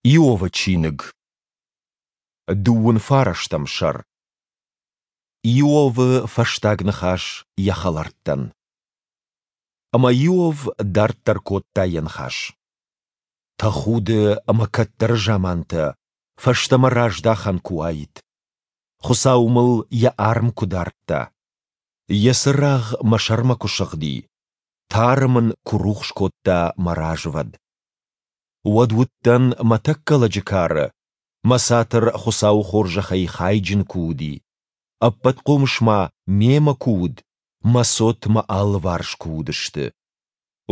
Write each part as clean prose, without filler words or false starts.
Иовы чиныг, дыууын фарӕстӕм сӕр. Иовы фӕстаг ныхас йӕ хӕлӕрттӕн. Ӕмӕ Иов дарддӕр кодта йӕ ныхас. Тӕхуды ӕмӕ кӕддӕры замантӕ фӕстӕмӕ раздахӕн куы уаид. Хуыцау мыл йӕ арм куы дардта. Йӕ цырагъ мӕ сӕрмӕ куы сыгъди, тары мын куы рухс кодта мӕ развӕд. Уӕд уыдтӕн мӕ тӕккӕ лӕджы кары, мӕ цатыр Хуыцауы хорзӕхӕй хайджын куы уыди, Ӕппӕтхъомыс ма мемӕ куы уыд, мӕ цот мӕ алыварс куы уыдысты.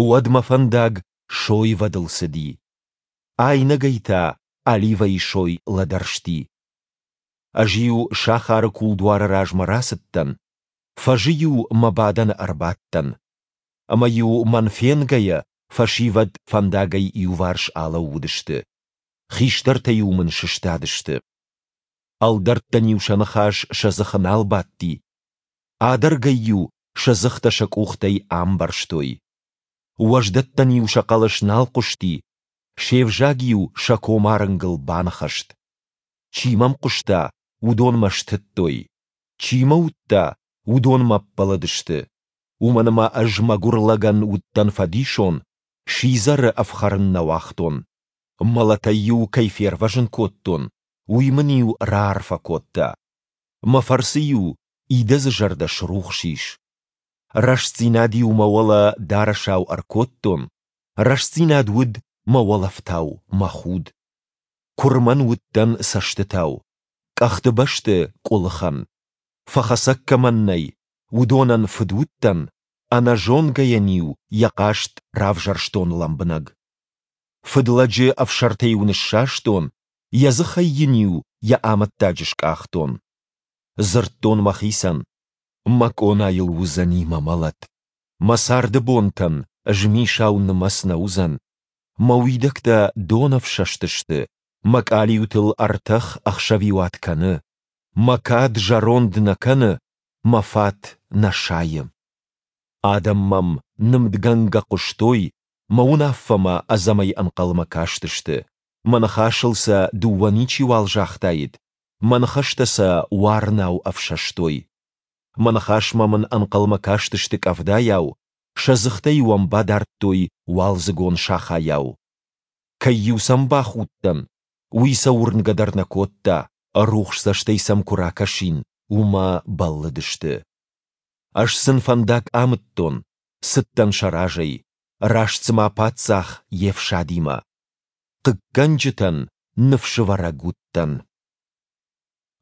Уӕд мӕ фӕндаг сойвӕдыл цыди, айнӕгӕй та оливӕйы сой лӕдӕрсти. Ӕз-иу сахары кулдуары размӕ рацыдтӕн, фӕзы-иу мӕ бадӕны ӕрбадтӕн. Ӕмӕ-иу мӕн фенгӕйӕ, фӕсивӕд фӕндагӕй иуварс алӕууыдысты, хистӕртӕ-иу мын сыстадысты. Ӕлдӕрттӕн-иу сӕ ныхас сӕ дзыхы нал бадти, адӕргӕй-иу сӕ дзыхтӕ сӕ къухтӕй амбӕрзтой. Уӕздӕттӕн-иу сӕ хъӕлӕс нал хъуысти, се взаг-иу сӕ комарынгыл баныхӕст. Чи мӕм хъуыста, уыдон мӕ стыдтой, чи мӕ уыдта, уыдон мӕ ппӕлыдысты. Уымӕн ӕмӕ ӕз мӕгуыр лӕгӕн уыдтӕн фӕдисон, сидзӕры ӕфхӕрын нӕ уагътон. Мӕлӕтӕй-иу кӕй фервӕзын кодтон, уый мын-иу раарфӕ кодта. Мӕ фӕрцы-иу идӕдзы зӕрдӕ срухс ис. Рӕстдзинад-иу мӕ уӕлӕ дарӕсау ӕркодтон, рӕстдзинад уыд мӕ уӕлӕфтау, мӕ худ. Куырмӕн уыдтӕн цӕстытау, къӕхты бӕсты къуылыхӕн. Фӕхӕцӕг кӕмӕн нӕй, уыдонӕн фыд уыдтӕн, ӕнӕзонгӕйӕн-иу йӕ хъаст равзӕрстон лӕмбынӕг. Фыдлӕджы ӕфсӕртӕ-иу ныссастон, йӕ дзыхӕй йын-иу йӕ амӕттаджы скъахтон. Дзырдтон мӕхицӕн, мӕ къонайыл уыдзӕни мӕ мӕлӕт, мӕ царды бонтӕн змисау нымӕц нӕ уыдзӕн, мӕ уидӕгтӕ донӕфсӕст сты, мӕ къалиутыл ӕртӕх ӕхсӕвиуат кӕны, мӕ кад зӕронд нӕ кӕны, мӕ фат нӕ сайы. Адӕм мӕм нымдгӕнгӕ хъуыстой, мӕ уынаффӕмӕ ӕдзӕмӕй ӕнхъӕлмӕ кастысты, мӕ ныхасыл сӕ дыууӕ ничиуал загътаид, мӕ ныхӕстӕ сӕ уарынау ӕфсӕстой. Мӕ ныхасмӕ мын ӕнхъӕлмӕ кастысты къӕвдайау, сӕ дзыхтӕ-иу ӕм бадардтой уалдзыгон сахайау. Кӕй-иу сӕм бахудтӕн, уый сӕ уырнгӕ дӕр нӕ кодта, рухс цӕстӕй сӕм куы ракӕсин, уымӕ бӕллыдысты. Ӕз сын фӕндаг амыдтон, цыдтӕн сӕ разӕй, раст цыма паддзах йе фсадимӕ. Хъыггӕнджытӕн ныфсывӕрӕг уыдтӕн.